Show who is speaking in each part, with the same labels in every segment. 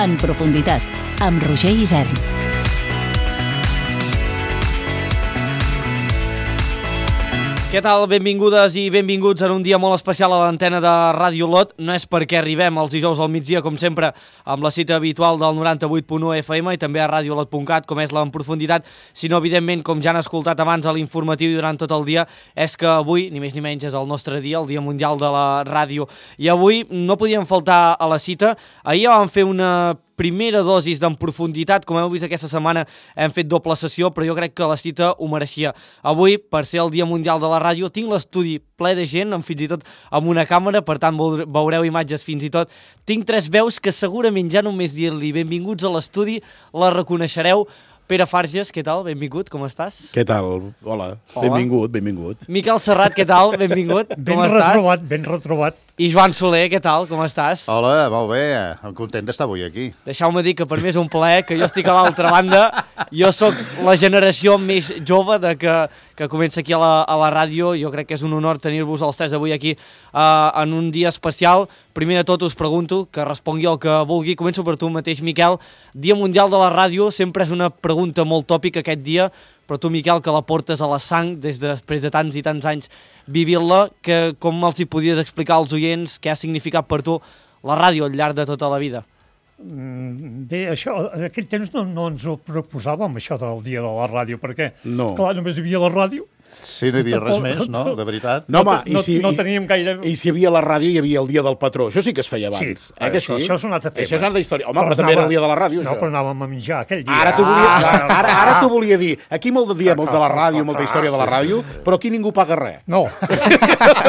Speaker 1: En profunditat, amb Roger Isern.
Speaker 2: Què tal? Benvingudes i benvinguts en un dia molt especial a l'antena de Ràdio Lot. No és perquè arribem els dijous al migdia, com sempre, amb la cita habitual del 98.1 FM i també a radiolot.cat, com és la En Profunditat, sinó, evidentment, com ja han escoltat abans a l'informatiu i durant tot el dia, és que avui, ni més ni menys, és el nostre dia, el Dia Mundial de la Ràdio. I avui no podíem faltar a la cita. Ahir ja vam fer una primera dosis d'En Profunditat. Com heu vist aquesta setmana hem fet doble sessió, però jo crec que la cita ho mereixia. Avui, per ser el Dia Mundial de la Ràdio, tinc l'estudi ple de gent, fins i tot amb una càmera, per tant veureu imatges fins i tot. Tinc tres veus que segurament ja només dir-li benvinguts a l'estudi la reconeixereu. Pere Farges, què tal? Benvingut, com estàs?
Speaker 3: Què tal? Hola. Benvingut.
Speaker 2: Miquel Serrat, què tal? Benvingut, com estàs?
Speaker 4: Ben retrobat.
Speaker 2: I Joan Soler, què tal? Com estàs?
Speaker 5: Hola, molt bé. Content d'estar avui aquí.
Speaker 2: Deixeu-me dir que per mi és un plaer, que jo estic a l'altra banda. Jo sóc la generació més jove que comença aquí a la ràdio. Jo crec que és un honor tenir-vos els tres avui aquí en un dia especial. Primer de tot us pregunto, que respongui el que vulgui. Començo per tu mateix, Miquel. Dia Mundial de la Ràdio sempre és una pregunta molt tòpica aquest dia, però tu, Miquel, que la portes a la sang després de tants i tants anys vivint-la, com els hi podies explicar als oients què ha significat per tu la ràdio al llarg de tota la vida?
Speaker 4: Bé, això, en aquell temps no ens ho proposàvem, això del dia de la ràdio, perquè, clar, només hi havia la ràdio.
Speaker 5: Sí, no hi havia res més, no? De veritat.
Speaker 4: No teníem gaire...
Speaker 3: I si hi havia la ràdio, hi havia el dia del patró. Això sí que es feia abans.
Speaker 4: Sí, això és un altre tema.
Speaker 3: Això és una altra història. Home, però també era el dia de la ràdio, això.
Speaker 4: No, però anàvem a menjar aquell dia.
Speaker 3: Ara t'ho volia dir. Aquí molt de dia, molt de la ràdio, molta història de la ràdio, però aquí ningú paga res.
Speaker 4: No.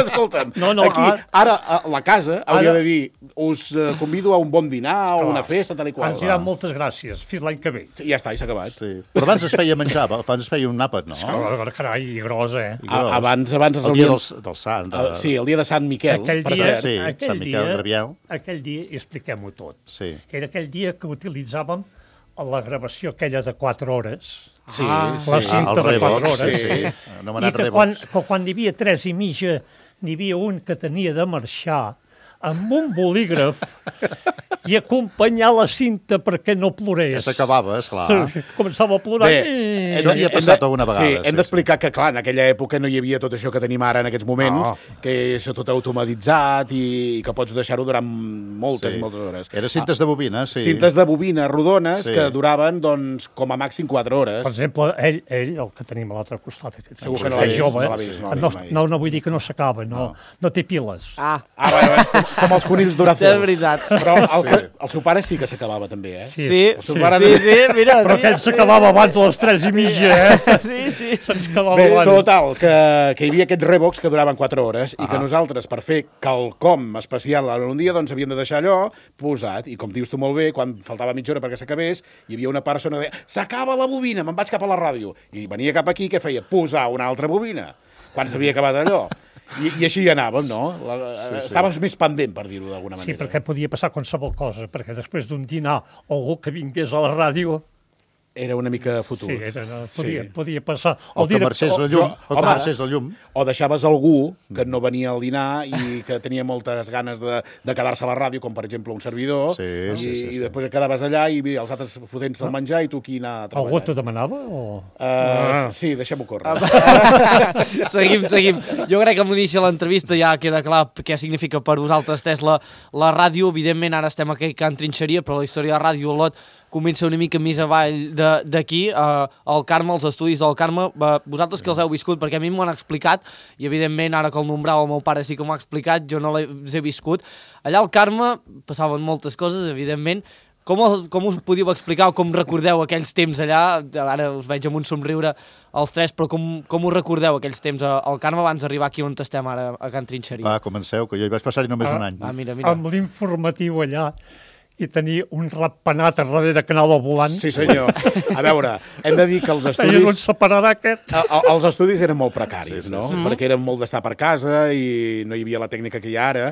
Speaker 3: Escolta'm, aquí, ara la casa hauria de dir us convido a un bon dinar o una festa, tal i qual.
Speaker 4: Ens diran moltes gràcies. Fins l'any que ve.
Speaker 3: Ja està, i s'ha acabat.
Speaker 5: Però abans es feia menjar, abans es feia un àpat, no?
Speaker 4: Carai, gros, eh?
Speaker 3: Abans
Speaker 5: el dia del Sant.
Speaker 3: Sí, el dia de Sant Miquel.
Speaker 5: Sant Miquel Graviel.
Speaker 4: Aquell dia, expliquem-ho tot.
Speaker 5: Sí.
Speaker 4: Era aquell dia que utilitzàvem la gravació aquella de 4 hores.
Speaker 3: Sí,
Speaker 4: la cinta de 4 hores.
Speaker 5: Sí.
Speaker 4: I que quan n'hi havia 3 i mitja, n'hi havia un que tenia de marxar amb un bolígraf i acompanyar la cinta perquè no plorés.
Speaker 5: Ja s'acabava, esclar.
Speaker 4: Començava a plorar.
Speaker 5: Bé, això havia passat alguna vegada.
Speaker 3: Sí, hem d'explicar que, clar, en aquella època no hi havia tot això que tenim ara en aquests moments, que és tot automatitzat i que pots deixar-ho durant moltes hores.
Speaker 5: Eren cintes de bobina, sí.
Speaker 3: Cintes de bobina rodones que duraven, doncs, com a màxim 4 hores.
Speaker 4: Per exemple, ell, el que tenim a l'altre costat,
Speaker 3: segur que no l'ha
Speaker 4: vist. No vull dir que no s'acaba, no té piles.
Speaker 3: Bueno, és com els conills Duracell.
Speaker 2: És veritat.
Speaker 3: Però el seu pare sí que s'acabava també, eh?
Speaker 2: Sí, mira.
Speaker 4: Però aquell s'acabava abans de les 3 i mitja, eh?
Speaker 2: Sí.
Speaker 4: Se'ns acabava
Speaker 3: abans.
Speaker 4: Bé,
Speaker 3: total, que hi havia aquests Revox que duraven 4 hores i que nosaltres, per fer quelcom especial en un dia, doncs havíem de deixar allò posat. I com dius tu molt bé, quan faltava mitja hora perquè s'acabés, hi havia una persona que deia s'acaba la bobina, me'n vaig cap a la ràdio. I venia cap aquí, què feia? Posar una altra bobina, quan s'havia acabat allò. I així anàvem, no? Estaves més pendent, per dir-ho d'alguna manera.
Speaker 4: Sí, perquè podia passar qualsevol cosa, perquè després d'un dinar o algú que vingués a la ràdio
Speaker 3: era una mica fotut.
Speaker 4: Sí, podia passar.
Speaker 5: O que marxés la llum.
Speaker 3: O deixaves algú que no venia al dinar i que tenia moltes ganes de quedar-se a la ràdio, com per exemple un servidor, i després quedaves allà i els altres fotent-se el menjar i tu aquí anar a treballar.
Speaker 4: Algú t'ho demanava?
Speaker 3: Sí, deixem-ho córrer.
Speaker 2: Seguim. Jo crec que a l'inici de l'entrevista ja queda clar què significa per vosaltres tres la ràdio. Evidentment, ara estem aquí a Can Trinxeria, però la història de Ràdio Lot comença una mica més avall d'aquí, al Carme, als estudis del Carme. Vosaltres que els heu viscut, perquè a mi m'ho han explicat, i evidentment ara que el nombrava el meu pare sí que m'ho ha explicat, jo no les he viscut. Allà al Carme passaven moltes coses, evidentment. Com us podíeu explicar o com recordeu aquells temps allà? Ara us veig amb un somriure els tres, però com us recordeu aquells temps al Carme abans d'arribar aquí on estem ara, a Can Trinxeria?
Speaker 5: Va, comenceu, que jo hi vaig passar-hi només un any.
Speaker 2: Mira.
Speaker 4: Amb l'informatiu allà, i tenir un ratpenat a darrere que anava volant.
Speaker 3: Sí, senyor. A veure, hem de dir que els estudis...
Speaker 4: No separarà aquest.
Speaker 3: Els estudis eren molt precaris, no? Perquè eren molt d'estar per casa i no hi havia la tècnica que hi ha ara.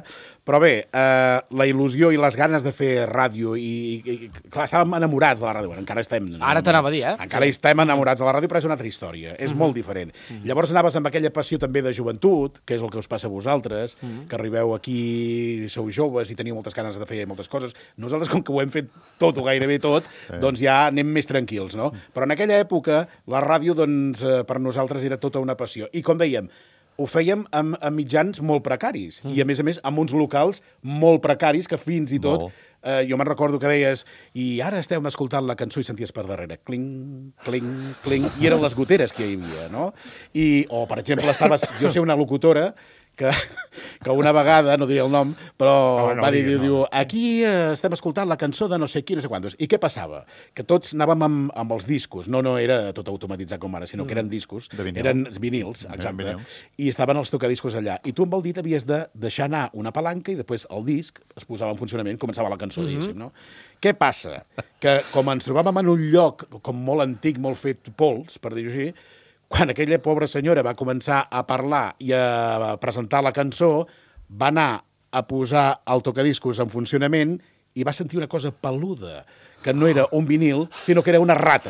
Speaker 3: Però bé, la il·lusió i les ganes de fer ràdio i clar, estàvem enamorats de la ràdio. Encara estem...
Speaker 2: Ara t'anava a dir, eh?
Speaker 3: Encara estem enamorats de la ràdio, però és una altra història. És molt diferent. Llavors anaves amb aquella passió també de joventut, que és el que us passa a vosaltres, que arribeu aquí, sou joves i teniu moltes ganes de fer moltes coses. Nosaltres, com que ho hem fet tot o gairebé tot, doncs ja anem més tranquils, no? Però en aquella època la ràdio, doncs, per nosaltres era tota una passió. I com dèiem, ho fèiem amb mitjans molt precaris i, a més, amb uns locals molt precaris que fins i tot... jo me'n recordo que deies i ara estem escoltant la cançó i senties per darrere cling, cling, cling, i eren les goteres que hi havia, no? O, per exemple, jo sé una locutora que una vegada, no diré el nom, però va dir, diu, aquí estem escoltant la cançó de no sé qui, no sé quantos. I què passava? Que tots anàvem amb els discos. No era tot automatitzat com ara, sinó que eren discos. Eren vinils, exacte. I estaven els tocadiscos allà. I tu amb el dit havies de deixar anar una palanca i després el disc es posava en funcionament, començava la cançó, diguéssim, no? Què passa? Que com ens trobàvem en un lloc com molt antic, molt fet pols, per dir-ho així, quan aquella pobra senyora va començar a parlar i a presentar la cançó, va anar a posar el tocadiscos en funcionament i va sentir una cosa peluda, que no era un vinil, sinó que era una rata.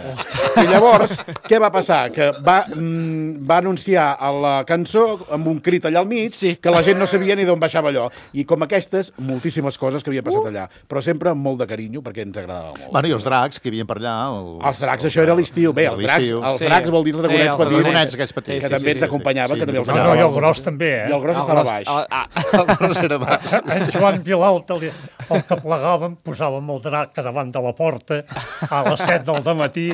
Speaker 3: I llavors, què va passar? Que va anunciar a la cançó, amb un crit allà al mig, que la gent no sabia ni d'on baixava allò. I com aquestes, moltíssimes coses que havia passat allà. Però sempre amb molt de carinyo, perquè ens agradava molt.
Speaker 5: Bueno, i els dracs que hi havia per allà...
Speaker 3: Els dracs, això era l'estiu. Bé, els dracs vol dir els dragonets petits.
Speaker 5: Els dragonets aquests petits.
Speaker 3: Que també ens acompanyaven, que també els
Speaker 4: agradava. No, i el gros també,
Speaker 3: I el gros estava baix.
Speaker 5: El gros era baix.
Speaker 4: En Joan Vilalta, el que plegàvem, posàvem el drac davant de la porta a les 7 del dematí,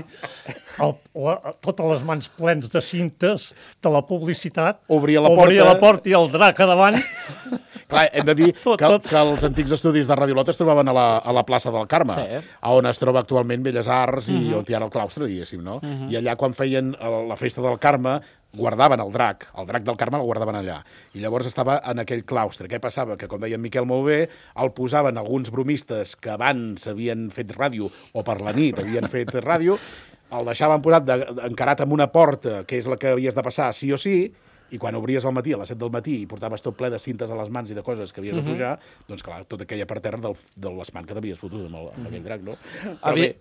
Speaker 4: totes les mans plens de cintes de la publicitat, obria la porta i el drac a davant.
Speaker 3: Clar, hem de dir que els antics estudis de Ràdio Lot es trobaven a la plaça del Carme, on es troba actualment Belles Arts i on hi ha el claustre, diguéssim, no? I allà, quan feien la festa del Carme, guardaven el drac del Carme el guardaven allà, i llavors estava en aquell claustre. Què passava? Que, com deia en Miquel molt bé, el posaven alguns bromistes que abans havien fet ràdio, o per la nit havien fet ràdio, el deixaven posat encarat amb una porta, que és la que havies de passar sí o sí, i quan obries al matí, a les 7 del matí, i portaves tot ple de cintes a les mans i de coses que havies de pujar, doncs clar, tota aquella per terra de l'espant que t'havies fotut amb aquell drac, no?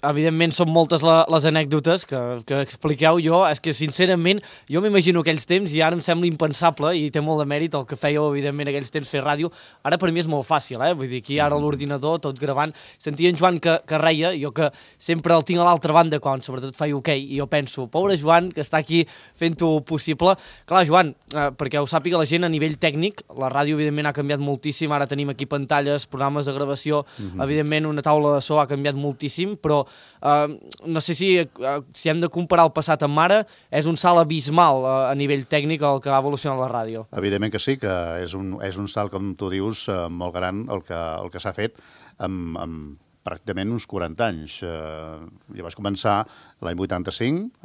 Speaker 2: Evidentment són moltes les anècdotes que expliqueu. Jo, és que sincerament, jo m'imagino aquells temps i ara em sembla impensable, i té molt de mèrit el que fèieu, evidentment, aquells temps fer ràdio. Ara per mi és molt fàcil, vull dir, aquí ara l'ordinador, tot gravant. Sentia en Joan que reia, jo que sempre el tinc a l'altra banda quan sobretot faig hoquei, i jo penso, pobre Joan, que està aquí fent-ho possible. Clar, Joan, perquè ho sàpiga la gent, a nivell tècnic, la ràdio evidentment ha canviat moltíssim, ara tenim aquí pantalles, programes de gravació, evidentment una taula de so ha canviat moltíssim, però no sé si hem de comparar el passat amb ara, és un salt abismal a nivell tècnic el que ha evolucionat la ràdio.
Speaker 5: Evidentment que sí, que és un salt, com tu dius, molt gran el que s'ha fet amb pràcticament uns 40 anys. Jo vaig començar l'any 85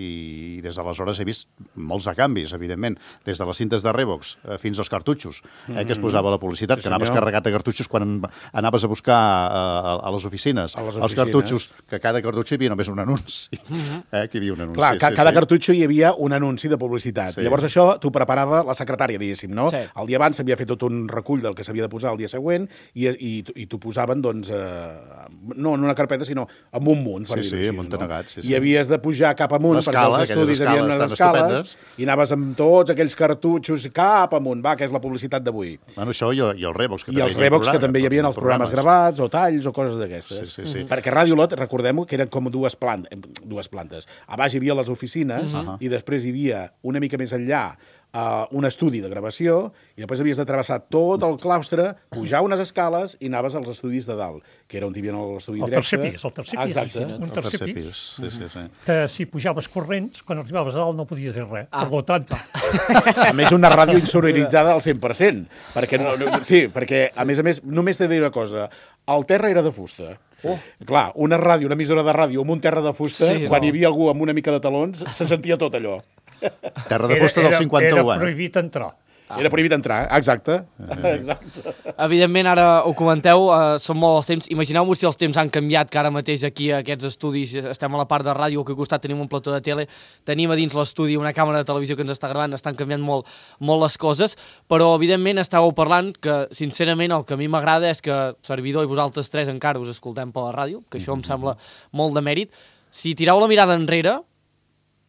Speaker 5: i des d'aleshores he vist molts de canvis, evidentment, des de les cintes de Revox fins als cartutxos, que es posava la publicitat, que anaves carregat de cartutxos quan anaves a buscar a les oficines. Els cartutxos, que cada cartutxo hi havia només un anunci. Que hi havia un anunci.
Speaker 3: Clar, cada cartutxo hi havia un anunci de publicitat. Llavors això t'ho preparava la secretària, diguéssim, no? El dia abans s'havia fet tot un recull del que s'havia de posar el dia següent i t'ho posaven, doncs, no en una carpeta, sinó en un munt, per dir-ho així.
Speaker 5: Negats,
Speaker 3: I havies de pujar cap amunt, perquè els estudis hi havia unes escales, i anaves amb tots aquells cartutxos cap amunt, que és la publicitat d'avui.
Speaker 5: Bueno, això i els Revox,
Speaker 3: que també hi havia els programes gravats, o talls, o coses d'aquestes. Perquè Ràdio Lot, recordem-ho, que eren com dues plantes. A baix hi havia les oficines, i després hi havia, una mica més enllà, un estudi de gravació, i després havies de travessar tot el claustre, pujar unes escales i anaves als estudis de dalt, que era on hi havia l'estudi directe.
Speaker 4: El tercer pis.
Speaker 3: Exacte.
Speaker 4: Un tercer pis. Que si pujaves corrents, quan arribaves a dalt no podies dir res. Per tant...
Speaker 3: A més, una ràdio insonoritzada al 100%. Perquè, a més, només t'he de dir una cosa. El terra era de fusta. Clar, una emissora de ràdio amb un terra de fusta, quan hi havia algú amb una mica de talons, se sentia tot allò.
Speaker 5: Terra de fusta del 51.
Speaker 4: Era prohibit entrar.
Speaker 3: Era prohibit entrar, exacte.
Speaker 2: Evidentment, ara ho comenteu, són molt els temps. Imagineu-vos si els temps han canviat, que ara mateix aquí a aquests estudis estem a la part de ràdio, que al costat tenim un plató de tele, tenim a dins l'estudi una càmera de televisió que ens està gravant, estan canviant molt les coses, però evidentment estàveu parlant que, sincerament, el que a mi m'agrada és que servidor i vosaltres tres encara us escoltem per la ràdio, que això em sembla molt de mèrit. Si tireu la mirada enrere,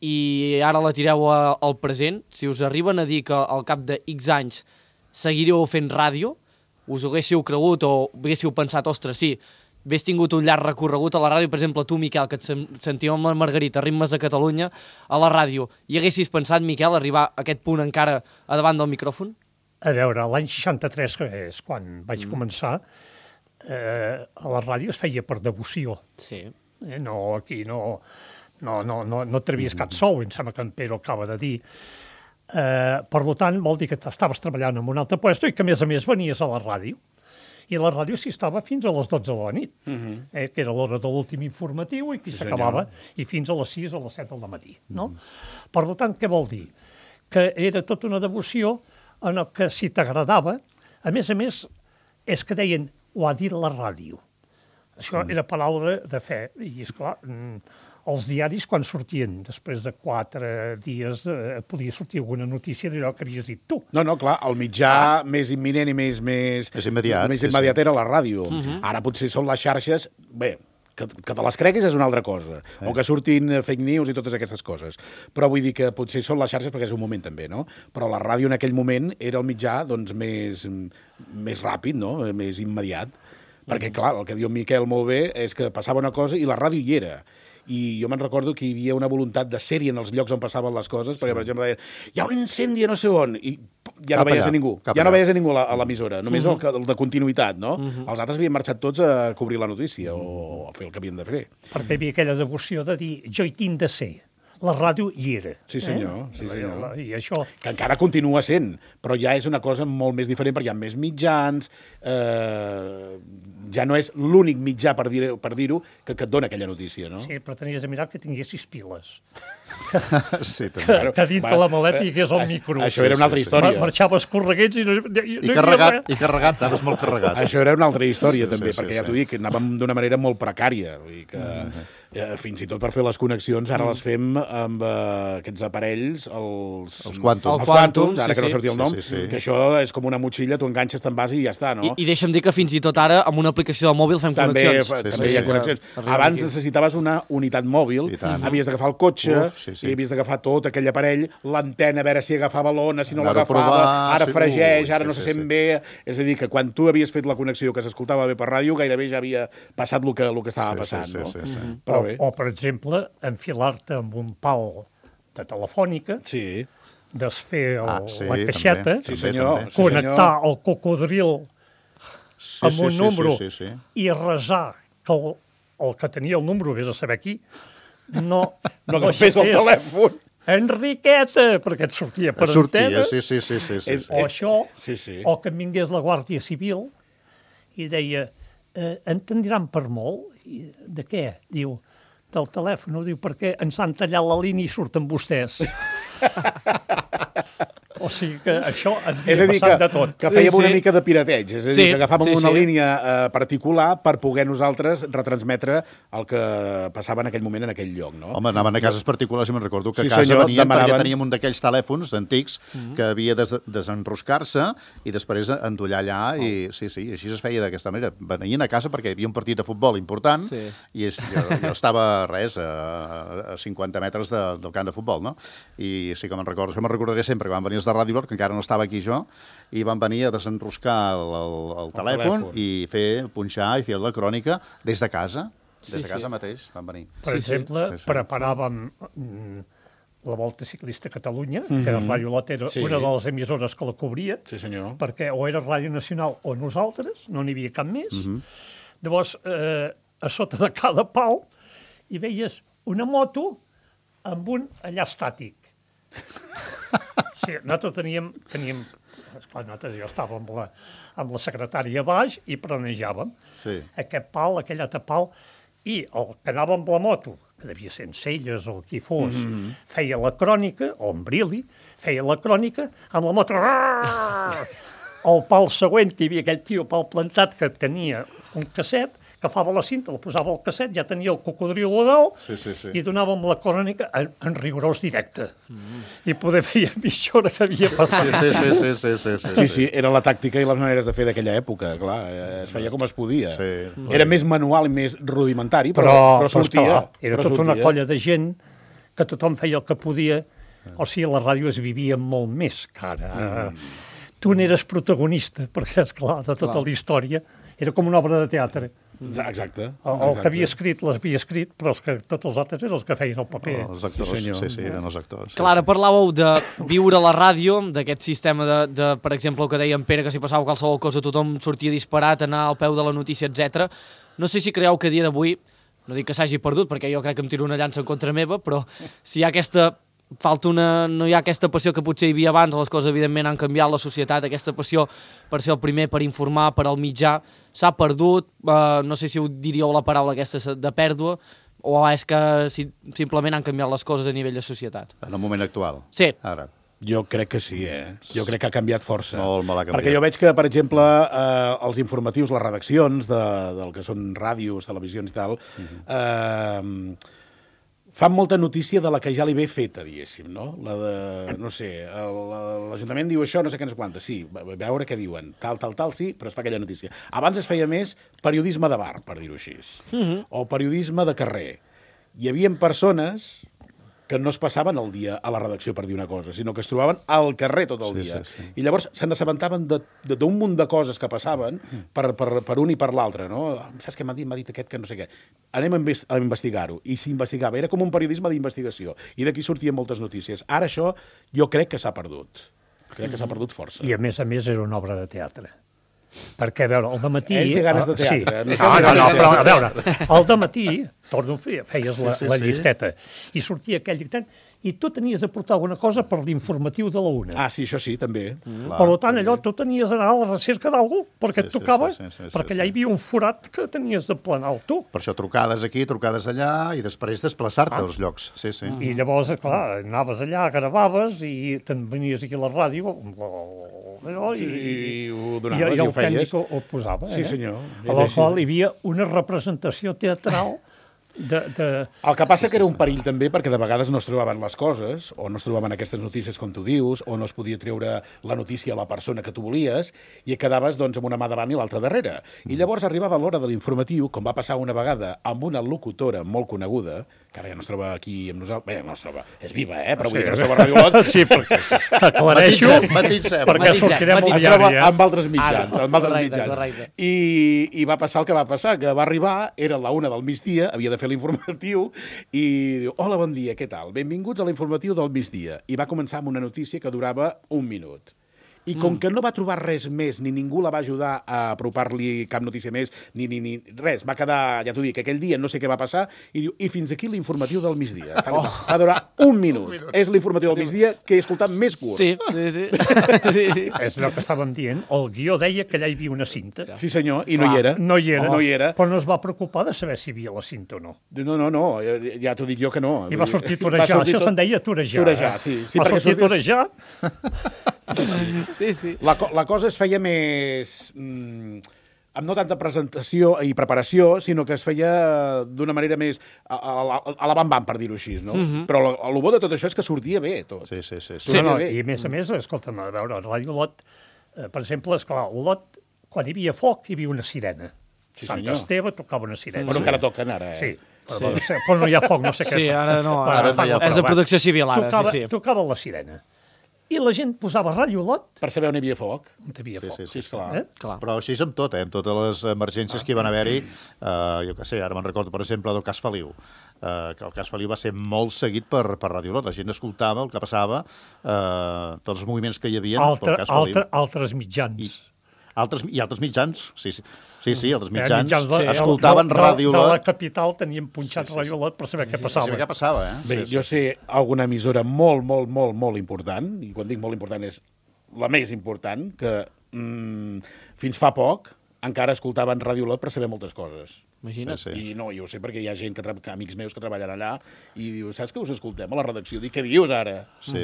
Speaker 2: i ara la tireu al present, si us arriben a dir que al cap de X anys seguireu fent ràdio, us ho haguéssiu cregut o haguéssiu pensat, ostres, sí, hagués tingut un llarg recorregut a la ràdio, per exemple, tu, Miquel, que et sentíem amb la Margarita, Ritmes de Catalunya, a la ràdio, i haguessis pensat, Miquel, arribar a aquest punt encara a davant del micròfon?
Speaker 4: A veure, l'any 63, que és quan vaig començar, a la ràdio es feia per devoció.
Speaker 2: Sí.
Speaker 4: No, aquí no trevies cap sou, em sembla que en Pere acaba de dir. Per tant, vol dir que estaves treballant en un altre lloc i que, a més, venies a la ràdio. I la ràdio s'hi estava fins a les 12 de la nit, que era l'hora de l'últim informatiu i aquí s'acabava, i fins a les 6 o les 7 del matí. No? Per tant, què vol dir? Que era tota una devoció en el que, si t'agradava, a més, és que deien, ho ha dit la ràdio. Això era paraula de fe. I, esclar, els diaris, quan sortien, després de 4 dies, podia sortir alguna notícia d'allò que havies dit tu.
Speaker 3: No, clar, el mitjà més imminent i més immediat era la ràdio. Ara potser són les xarxes... Bé, que te les creguis és una altra cosa, o que surtin fake news i totes aquestes coses. Però vull dir que potser són les xarxes perquè és un moment també, no? Però la ràdio en aquell moment era el mitjà doncs, més ràpid, no? Més immediat. Perquè, clar, el que diu Miquel molt bé és que passava una cosa i la ràdio hi era. I jo me'n recordo que hi havia una voluntat de ser-hi en els llocs on passaven les coses, perquè, per exemple, deien, hi ha un incendi a no sé on, i ja no veies a ningú. Ja no veies a ningú a l'emissora, només el de continuïtat, no? Els altres havien marxat tots a cobrir la notícia o a fer el que havien de fer.
Speaker 4: Perquè hi havia aquella devoció de dir, jo hi tinc de ser. La ràdio hi era.
Speaker 3: Sí, senyor. Sí, senyor.
Speaker 4: I això...
Speaker 3: Que encara continua sent, però ja és una cosa molt més diferent, perquè hi ha més mitjans, ja no és l'únic mitjà, per dir-ho, que et dona aquella notícia, no?
Speaker 4: Sí, però tenies de mirar que tinguessis piles.
Speaker 5: Sí, també.
Speaker 4: Que dintre la maleta hi hagués el micro.
Speaker 3: Això era una altra història.
Speaker 4: Marxaves correguets i
Speaker 5: I carregat, anaves molt carregat.
Speaker 3: Això era una altra història, també, perquè ja t'ho dic, anàvem d'una manera molt precària. Vull dir que fins i tot per fer les connexions ara les fem amb aquests aparells, els quàntums, ara que no sortia el nom, que això és com una motxilla, tu enganxes, te'n vas i ja està, no?
Speaker 2: I deixa'm dir que fins i tot ara amb una aplicació de mòbil fem connexions.
Speaker 3: També hi ha connexions. Abans necessitaves una unitat mòbil, havies d'agafar el cotxe, i havies d'agafar tot aquell aparell, l'antena, a veure si agafava l'ona, si no l'agafava, ara fregeix, ara no se sent bé. És a dir, que quan tu havies fet la connexió que s'escoltava bé per ràdio, gairebé ja havia passat el que estava passant, no? Però bé.
Speaker 4: O, per exemple, enfilar-te amb un pal de telefònica, desfer la caixeta, connectar el cocodril amb un número i resar que el que tenia el número, vés a saber qui, no
Speaker 3: agafés el telèfon.
Speaker 4: Enriqueta, perquè et sortia per antena.
Speaker 5: Sí.
Speaker 4: O això, o que em vingués la Guàrdia Civil i deia, entendran per molt? De què? Diu, del telèfon, diu, perquè ens han tallat la línia i surten vostès. O sigui que això ens havia passat de tot.
Speaker 3: Que fèiem una mica de pirateig, és a dir, que agafàvem una línia particular per poder nosaltres retransmetre el que passava en aquell moment en aquell lloc, no?
Speaker 5: Home, anaven a cases particulars i me'n recordo que a casa venien perquè teníem un d'aquells telèfons antics que havia de desenroscar-se i després endollar allà i sí, així es feia d'aquesta manera. Venien a casa perquè hi havia un partit de futbol important i jo estava a 50 metres del camp de futbol, no? I sí que me'n recordo, això me'n recordaré sempre, que van venir els de Ràdio Lord, que encara no estava aquí jo, i van venir a desenroscar el telèfon i punxar i fer la crònica des de casa. Des de casa mateix van venir.
Speaker 4: Per exemple, preparàvem la Volta Ciclista a Catalunya, que Ràdio Lot era una de les emissores que la cobria, perquè o era Ràdio Nacional o nosaltres, no n'hi havia cap més. Llavors, a sota de cada pal hi veies una moto amb un allà estàtic. Sí, nosaltres teníem esclar, jo estava amb la secretària a baix i planejàvem aquest pal, aquell altre pal, i el que anava amb la moto, que devia ser en Celles o qui fos, feia la crònica, o en Brili, feia la crònica amb la moto. El pal següent, que hi havia aquell tio pal plantat que tenia un casset, agafava la cinta, la posava al casset, ja tenia el cocodril a dalt i donàvem la crònica en rigorós directe. I poder veure mitja hora que havia passat.
Speaker 3: Sí, era la tàctica i les maneres de fer d'aquella època, clar, es feia com es podia. Era més manual i més rudimentari, però sortia.
Speaker 4: Era tota una colla de gent que tothom feia el que podia, o sigui, la ràdio es vivia molt més que ara. tu n'eres protagonista, perquè, esclar, de tota la història era com una obra de teatre.
Speaker 3: Exacte.
Speaker 4: El que havia escrit l'havia escrit, però tots els altres eren els que feien el paper.
Speaker 5: Els actors, sí, eren els actors.
Speaker 2: Clar, ara parlàveu de viure a la ràdio, d'aquest sistema de, per exemple, el que deia en Pere, que si passava qualsevol cosa tothom sortia disparat, anar al peu de la notícia, etc. No sé si creieu que a dia d'avui, no dic que s'hagi perdut, perquè jo crec que em tiro una llança en contra meva, però si hi ha aquesta... no hi ha aquesta passió que potser hi havia abans, les coses evidentment han canviat, la societat, aquesta passió per ser el primer, per informar, per al mitjà, s'ha perdut, no sé si ho diríeu la paraula aquesta de pèrdua, o és que simplement han canviat les coses a nivell de societat?
Speaker 5: En el moment actual?
Speaker 2: Sí.
Speaker 5: Ara.
Speaker 3: Jo crec que sí, Jo crec que ha canviat força.
Speaker 5: Molt ha canviat.
Speaker 3: Perquè jo veig que, per exemple, els informatius, les redaccions del que són ràdios, televisions i tal, fan molta notícia de la que ja li ve feta, diguéssim, no? La de, no sé, l'Ajuntament diu això, no sé què, no sé quantes, sí, veure què diuen, tal, sí, però es fa aquella notícia. Abans es feia més periodisme de bar, per dir-ho així, o periodisme de carrer. Hi havia persones que no es passaven el dia a la redacció per dir una cosa, sinó que es trobaven al carrer tot el dia. Sí. I llavors se n'assabentaven d'un munt de coses que passaven per un i per l'altre, no? Saps què m'ha dit? M'ha dit aquest que no sé què. Anem a investigar-ho. I s'investigava. Era com un periodisme d'investigació. I d'aquí sortien moltes notícies. Ara això jo crec que s'ha perdut. Crec que s'ha perdut força.
Speaker 4: I a més era una obra de teatre. Perquè, a veure, al dematí...
Speaker 3: Ell té ganes de teatre.
Speaker 4: Sí. No, però a veure, al dematí, torno a fer, feies la llisteta, i sortia aquell dictant, i tu tenies de portar alguna cosa per l'informatiu de la una.
Speaker 3: Ah, sí, això sí, també.
Speaker 4: Per tant, allò, tu tenies d'anar a la recerca d'algú, perquè et tocava, perquè allà hi havia un forat que tenies de planar tu.
Speaker 5: Per això trucades aquí, trucades allà, i després desplaçar-te als llocs. Sí.
Speaker 4: I llavors, clar, anaves allà, gravaves, i te'n venies aquí a la ràdio,
Speaker 3: i ho donaves i ho feies.
Speaker 4: I el tècnic ho posava.
Speaker 3: Sí, senyor.
Speaker 4: A la qual hi havia una representació teatral
Speaker 3: El que passa que era un perill també perquè de vegades no es trobaven les coses o no es trobaven aquestes notícies com tu dius o no es podia treure la notícia a la persona que tu volies i et quedaves doncs amb una mà davant i l'altra darrere. I llavors arribava l'hora de l'informatiu, com va passar una vegada amb una locutora molt coneguda, que ara ja no es troba aquí amb nosaltres, bé, no es troba, és viva, però vull dir que no es troba a Radio Lot.
Speaker 4: Sí, perquè aclareixo, perquè sortirem al
Speaker 3: diari. Es troba amb altres
Speaker 2: mitjans,
Speaker 3: I va passar el que va passar, que va arribar, era la 1 del migdia, havia de fer l'informatiu i diu, hola, bon dia, què tal? Benvinguts a l'informatiu del migdia. I va començar amb una notícia que durava 1 minut. I com que no va trobar res més, ni ningú la va ajudar a apropar-li cap notícia més, ni res, va quedar, ja t'ho dic, aquell dia no sé què va passar, i diu, i fins aquí l'informatiu del migdia. Va durar 1 minut. És l'informatiu del migdia que he escoltat més curt.
Speaker 2: Sí.
Speaker 4: És el que estàvem dient. El guió deia que allà hi havia una cinta.
Speaker 3: Sí, senyor, i no hi era.
Speaker 4: No hi era. Però no es va preocupar de saber si hi havia la cinta o no.
Speaker 3: No, ja t'ho dic jo que no.
Speaker 4: I va sortir torejar, això se'n deia torejar.
Speaker 3: Torejar, sí.
Speaker 4: Va sortir torejar.
Speaker 2: Sí.
Speaker 3: La cosa es feia més... amb no tanta presentació i preparació, sinó que es feia d'una manera més a la bam-bam, per dir-ho així, no? Però el bo de tot això és que sortia bé, tot.
Speaker 5: Sí.
Speaker 4: I a més, escolta'm, a veure, a Ràdio Lot, per exemple, esclar, el Lot, quan hi havia foc, hi havia una sirena.
Speaker 3: Sí,
Speaker 4: Sant
Speaker 3: senyor.
Speaker 4: Esteve tocava una sirena.
Speaker 3: Però encara toquen ara,
Speaker 4: Sí. Però no hi ha foc, no sé què.
Speaker 2: Sí, ara no. És de protecció civil, ara, sí.
Speaker 4: Tocava la sirena. I la gent posava Ràdio Lot.
Speaker 3: Per saber on hi havia foc.
Speaker 4: On hi havia foc.
Speaker 3: Sí, esclar.
Speaker 5: Però així és amb tot, amb totes les emergències que hi van haver-hi. Jo què sé, ara me'n recordo, per exemple, del cas Feliu. Que el cas Feliu va ser molt seguit per Ràdio Lot. La gent escoltava el que passava, tots els moviments que hi havia pel cas Feliu.
Speaker 4: Altres mitjans.
Speaker 5: I altres mitjans, sí, altres mitjans escoltaven Ràdio Lot.
Speaker 4: De la capital tenien punxat Ràdio Lot per saber què passava.
Speaker 5: Saber què passava,
Speaker 3: Bé, jo sé alguna emissora molt important, i quan dic molt important és la més important, que fins fa poc encara escoltaven Ràdio Lot per saber moltes coses.
Speaker 2: Imagina't.
Speaker 3: I no, jo ho sé perquè hi ha gent, amics meus que treballen allà, i diu, saps que us escoltem a la redacció? Dic, què dius ara?
Speaker 5: Sí.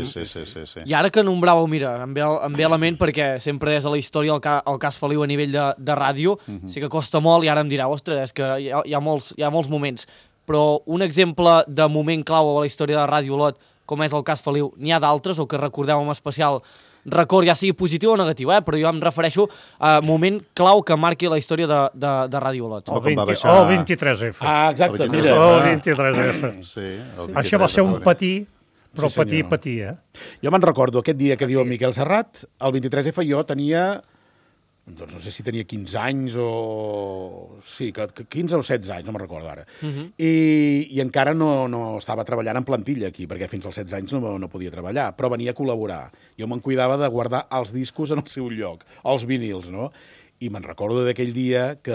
Speaker 2: I ara que nombràveu, mira, em ve a la ment perquè sempre és a la història el cas Feliu a nivell de ràdio, sí que costa molt i ara em dirà, ostres, és que hi ha molts moments, però un exemple de moment clau a la història de Ràdio Lot, com és el cas Feliu, n'hi ha d'altres o que recordeu en especial record, ja sigui positiu o negatiu, però jo em refereixo a moment clau que marqui la història de Ràdio Lot.
Speaker 4: El 23F.
Speaker 3: Ah, exacte, mira.
Speaker 4: El 23F.
Speaker 5: Sí,
Speaker 4: això va ser un patí, Però
Speaker 3: Sí, senyor.
Speaker 4: patia.
Speaker 3: Jo me'n recordo aquest dia que diu en Miquel Serrat, el 23F jo tenia, doncs no sé si tenia 15 anys o... Sí, 15 o 16 anys, no me'n recordo ara. I encara no estava treballant en plantilla aquí, perquè fins als 16 anys no podia treballar, però venia a col·laborar. Jo me'n cuidava de guardar els discos en el seu lloc, els vinils, no? I me'n recordo d'aquell dia que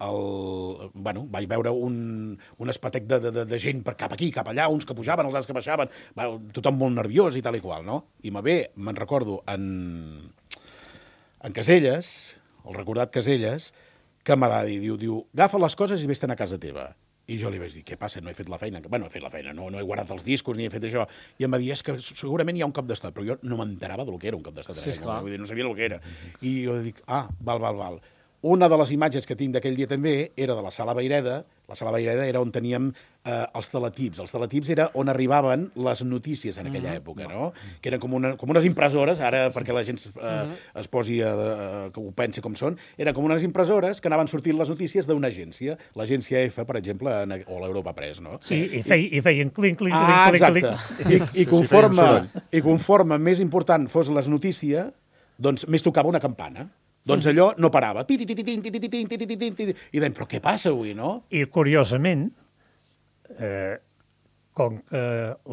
Speaker 3: vaig veure un espatec de gent cap aquí, cap allà, uns que pujaven, els altres que baixaven, tothom molt nerviós i tal i qual, no? I me'n recordo en Caselles, el recordat Caselles, que m'ha de dir, diu, agafa les coses i vés-te'n a casa teva. I jo li vaig dir, què passa? No he fet la feina. Bueno, he fet la feina, no he guardat els discos ni he fet això. I em va dir, és que segurament hi ha un cop d'estat, però jo no m'enterava del que era un cop d'estat.
Speaker 2: Sí, esclar.
Speaker 3: Vull dir, no sabia el que era. I jo dic, val. Una de les imatges que tinc d'aquell dia també era de la Sala Vayreda. La Sala Vayreda era on teníem els teletips. Els teletips era on arribaven les notícies en aquella època, no? Que eren com unes impressores, ara perquè la gent es posi que ho pensi com són, eren com unes impressores que anaven sortint les notícies d'una agència, l'agència F, per exemple, o l'Europa Press, no?
Speaker 4: Sí, i feien clinc, clinc,
Speaker 3: Exacte.
Speaker 4: clinc.
Speaker 3: I conforme més important fos la notícia, doncs més tocava una campana. Doncs allò no parava. I dèiem, però què passa avui, no?
Speaker 4: I curiosament, com que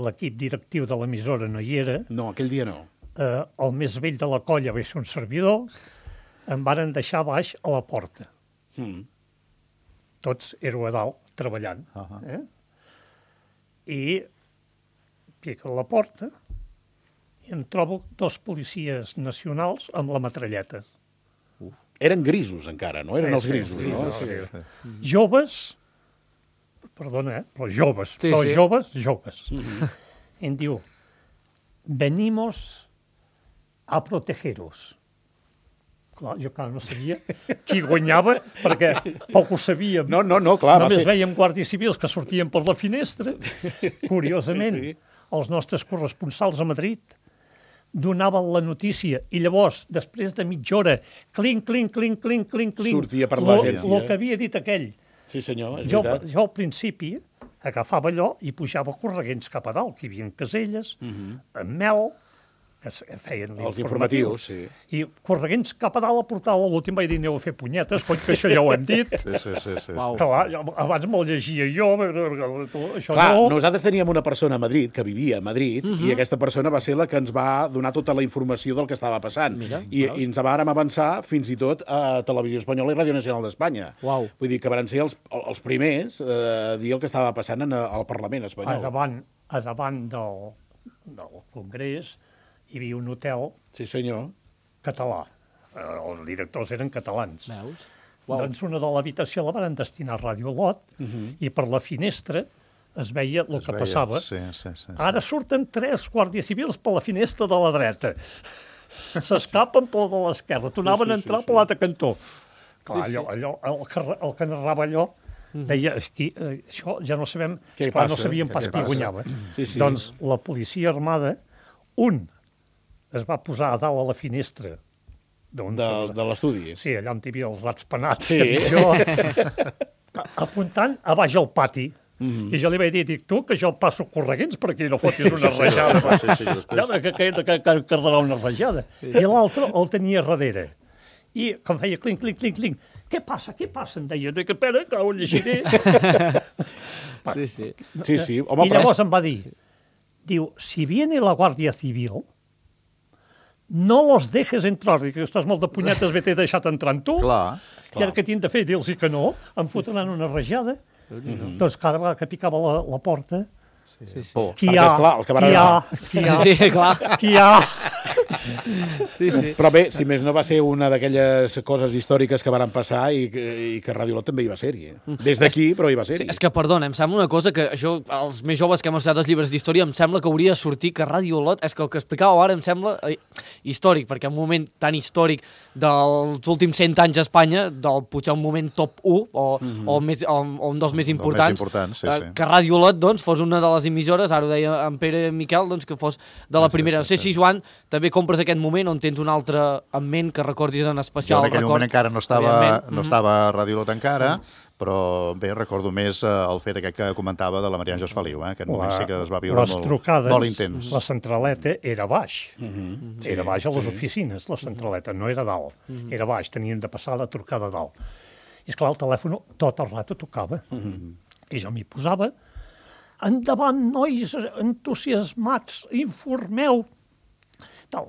Speaker 4: l'equip directiu de l'emissora no hi era,
Speaker 3: No, aquell dia no.
Speaker 4: el més vell de la colla va ser un servidor, em varen deixar baix a la porta. Tots éreu a dalt, treballant. I pico a la porta i em trobo 2 policies nacionals amb la metralleta.
Speaker 3: Eren grisos encara, no? Eren els grisos,
Speaker 4: sí,
Speaker 3: no?
Speaker 4: sí. Joves, perdona, però joves,
Speaker 2: Sí,
Speaker 4: però
Speaker 2: sí.
Speaker 4: joves. I em diu, venimos a protegeros. Clar, jo no sabia qui guanyava, perquè poc ho sabíem.
Speaker 3: No, clar.
Speaker 4: Només veiem guàrdies civils que sortien per la finestra. Curiosament,
Speaker 3: Sí.
Speaker 4: els nostres corresponsals a Madrid donaven la notícia i llavors, després de mitja hora, clinc,
Speaker 3: Sortia per l'agència.
Speaker 4: el que havia dit aquell.
Speaker 3: Sí, senyor, és
Speaker 4: Jo
Speaker 3: veritat.
Speaker 4: al principi agafava allò i pujava correguents cap a dalt, que hi havia Caselles, amb Mel, que feien
Speaker 3: Els informatius, sí.
Speaker 4: I correguents cap a dalt a portar l'últim vaig dir, aneu a fer punyetes, coi, que això ja ho hem dit.
Speaker 5: Sí.
Speaker 4: Clar, abans me'l llegia jo, això
Speaker 3: Clar,
Speaker 4: no.
Speaker 3: nosaltres teníem una persona a Madrid, que vivia a Madrid, i aquesta persona va ser la que ens va donar tota la informació del que estava passant. I ens vàrem avançar fins i tot a Televisió Espanyola i Ràdio Nacional d'Espanya.
Speaker 2: Uau.
Speaker 3: Vull dir que van ser els primers a dir el que estava passant al Parlament espanyol.
Speaker 4: A davant del Congrés hi havia un hotel
Speaker 3: Sí, senyor.
Speaker 4: català. Els directors eren catalans.
Speaker 2: Veus?
Speaker 4: Doncs una de l'habitació la van destinar a Ràdio Lot i per la finestra es veia el que passava.
Speaker 5: Sí.
Speaker 4: Ara surten 3 guàrdies civils per la finestra de la dreta. S'escapen per la de l'esquerra. Tornaven a entrar per l'altre cantó. Clar, allò, el que narrava allò deia, això ja no sabem,
Speaker 3: Què
Speaker 4: clar, no
Speaker 3: passa?
Speaker 4: sabíem pas
Speaker 3: Què
Speaker 4: qui
Speaker 3: passa?
Speaker 4: guanyava.
Speaker 3: Sí.
Speaker 4: Doncs la policia armada, un es va posar a dalt a la finestra
Speaker 3: De l'estudi.
Speaker 4: sí, allà on hi havia els rats penats,
Speaker 3: Sí.
Speaker 4: que dic jo, apuntant a baix al pati. I jo li vaig dir, tu, que jo passo correguents per aquí, no fotis una rajada.
Speaker 5: Sí, després.
Speaker 4: Que quedarà una rajada. I l'altre el tenia darrere. I com feia clinc, què passa? Em deia, que espera, que ho llegiré.
Speaker 3: Sí. Home,
Speaker 4: I llavors em va dir, diu, si viene la Guàrdia Civil, no los dejes entrar, que estàs molt de punyetes, t'he deixat entrar en tu.
Speaker 5: Clar.
Speaker 4: I ara què tinc de fer? Dir-los que no, em fotran una rajada. Doncs cada vegada que picava la porta,
Speaker 5: Por.
Speaker 4: qui hi
Speaker 3: Perquè,
Speaker 4: ha,
Speaker 3: esclar, el que va
Speaker 2: Sí, clar.
Speaker 4: qui hi ha.
Speaker 2: Sí.
Speaker 3: Però bé, si més no va ser una d'aquelles coses històriques que van passar i que Ràdio Lot també hi va ser-hi. Des d'aquí, però hi va ser-hi.
Speaker 2: És que, perdona, em sembla una cosa que això, els més joves que hem estudiat els llibres d'història, em sembla que hauria de sortir que Ràdio Lot, és que el que explicàveu ara em sembla històric, perquè un moment tan històric dels últims 100 anys a Espanya, potser un moment top 1, o un dels més importants,
Speaker 5: sí.
Speaker 2: que Ràdio Lot doncs, fos una de les emissores, ara ho deia en Pere Miquel, doncs, que fos de la primera. No sé si, Joan, també compres recupres aquest moment on tens un altre en ment que recordis en especial?
Speaker 5: Jo en aquell moment encara no estava a Radio Lot encara, però bé, recordo més el fet aquest que comentava de la Maria Àngels Feliu, aquest moment sí que es va viure molt intens.
Speaker 4: La centraleta era baix, era baix a les oficines, la centraleta, no era dalt, era baix, tenien de passar la trucada dalt. I esclar, el telèfon tot el rato tocava, i jo m'hi posava, endavant, nois entusiasmats, informeu, tal.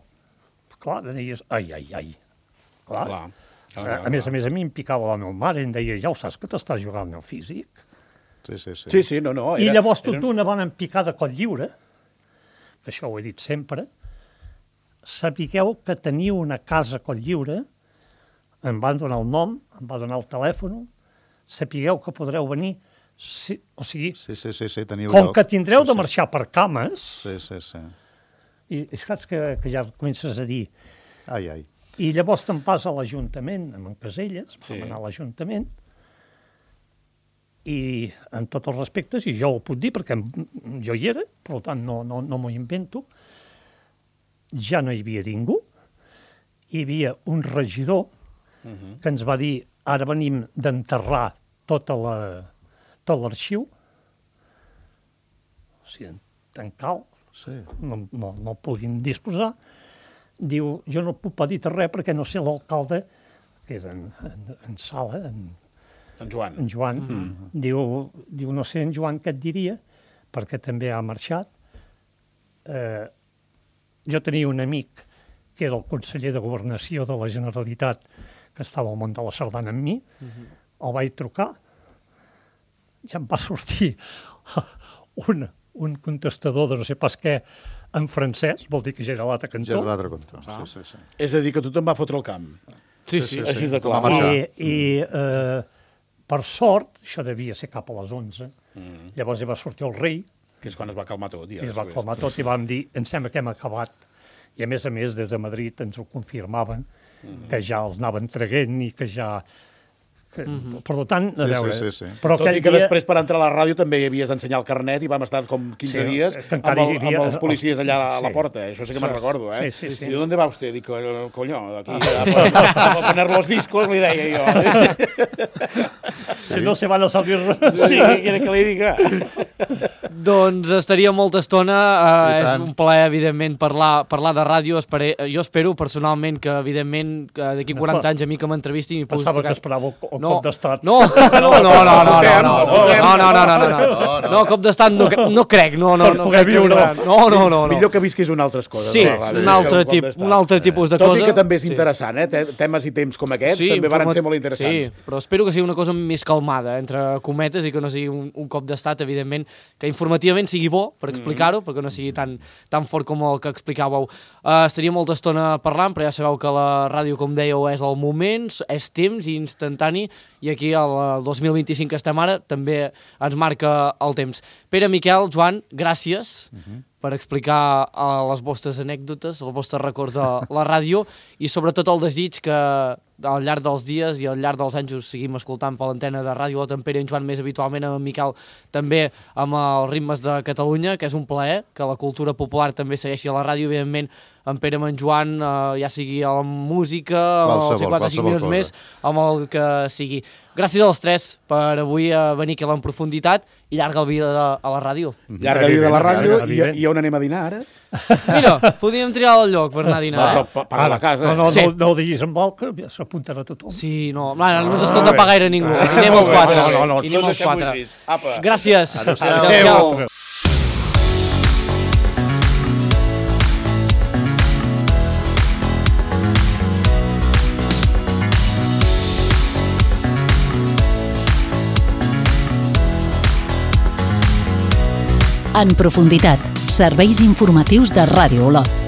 Speaker 4: Clar, deies, ai. Clar. A més, a mi em picava la meva mare, em deia, ja ho saps que t'estàs jugant al físic?
Speaker 3: Sí, no.
Speaker 4: I llavors tot d'una bona picada coll lliure, que això ho he dit sempre, sapigueu que teniu una casa coll lliure, em van donar el nom, em va donar el telèfon, sapigueu que podreu venir, o sigui, com que tindreu de marxar per cames, i saps que ja comences a dir, i llavors te'n vas a l'Ajuntament, amb en Caselles, vam anar a l'Ajuntament, i en tots els respectes, i jo ho puc dir perquè jo hi era, per tant no m'ho invento, ja no hi havia ningú, hi havia un regidor que ens va dir, ara venim d'enterrar tot l'arxiu, o sigui, tan cal, no puguin disposar, diu, jo no puc dir res perquè no sé l'alcalde, que és en Sala, en Joan, diu, no sé en Joan què et diria, perquè també ha marxat. Jo tenia un amic que era el conseller de Governació de la Generalitat, que estava al món de la sardana amb mi, el vaig trucar, ja em va sortir un contestador de no sé pas què en francès, vol dir que ja era l'altre cantó.
Speaker 5: Sí.
Speaker 3: És a dir, que tothom va fotre el camp.
Speaker 2: Sí.
Speaker 3: Així de clar.
Speaker 4: I per sort, això devia ser cap a les 11, llavors hi va sortir el rei,
Speaker 3: que és quan es va calmar tot.
Speaker 4: I es va calmar tot i vam dir, em sembla que hem acabat. I a més, des de Madrid ens ho confirmaven, que ja els anaven traguent i que ja... Per tant, a veure...
Speaker 3: Però tot i que després per entrar a la ràdio també havies d'ensenyar el carnet i vam estar com 15 dies amb els policies allà a la porta. Això sí que me'n recordo, eh? I ¿dónde va usted? Dic, coño, aquí a poner los discos, li deia jo.
Speaker 4: Si no se van a salir...
Speaker 3: Sí, què quiere que li diga?
Speaker 2: Doncs estaria molta estona, és un plaer, evidentment, parlar de ràdio. Jo espero personalment que, evidentment, d'aquí 40 anys a mi que m'entrevistin...
Speaker 4: Pensava que esperava el cop d'estat.
Speaker 2: No, cop d'estat no crec, no.
Speaker 4: Per poder viure.
Speaker 2: No.
Speaker 3: Millor que visquis un altre coses.
Speaker 2: Sí, un altre tipus de cosa.
Speaker 3: Tot i que també és interessant, temes i temps com aquests també van ser molt interessants.
Speaker 2: Sí, però espero que sigui una cosa més calmada, entre cometes, i que no sigui un cop d'estat, evidentment, que informativament sigui bo per explicar-ho, perquè no sigui tan fort com el que explicàveu. Estaria molta estona parlant, però ja sabeu que la ràdio, com dèieu, és el moment, és temps i instantani, i aquí el 2025 que estem ara també ens marca el temps. Pere, Miquel, Joan, gràcies per explicar les vostres anècdotes, els vostres records de la ràdio i sobretot el desig que al llarg dels dies i al llarg dels anys us seguim escoltant per l'antena de Ràdio Lot, en Pere i en Joan més habitualment, amb en Miquel també amb els ritmes de Catalunya, que és un plaer que la cultura popular també segueixi a la ràdio, evidentment en Pere amb en Joan, ja sigui a la música, als 55 minuts més, amb el que sigui. Gràcies als tres per avui venir aquí a l'en profunditat i llarga vida a la ràdio.
Speaker 3: Llarga vida a la ràdio i on anem a dinar ara?
Speaker 2: Mira, podríem triar el lloc per anar a dinar.
Speaker 3: Però pagar la casa.
Speaker 4: No ho diguis amb el que s'apuntarà tothom.
Speaker 2: Sí, no ens escolta pas gaire ningú. I anem els quatre. I anem els quatre. Gràcies. Adéu.
Speaker 1: En profunditat, serveis informatius de Ràdio Lot.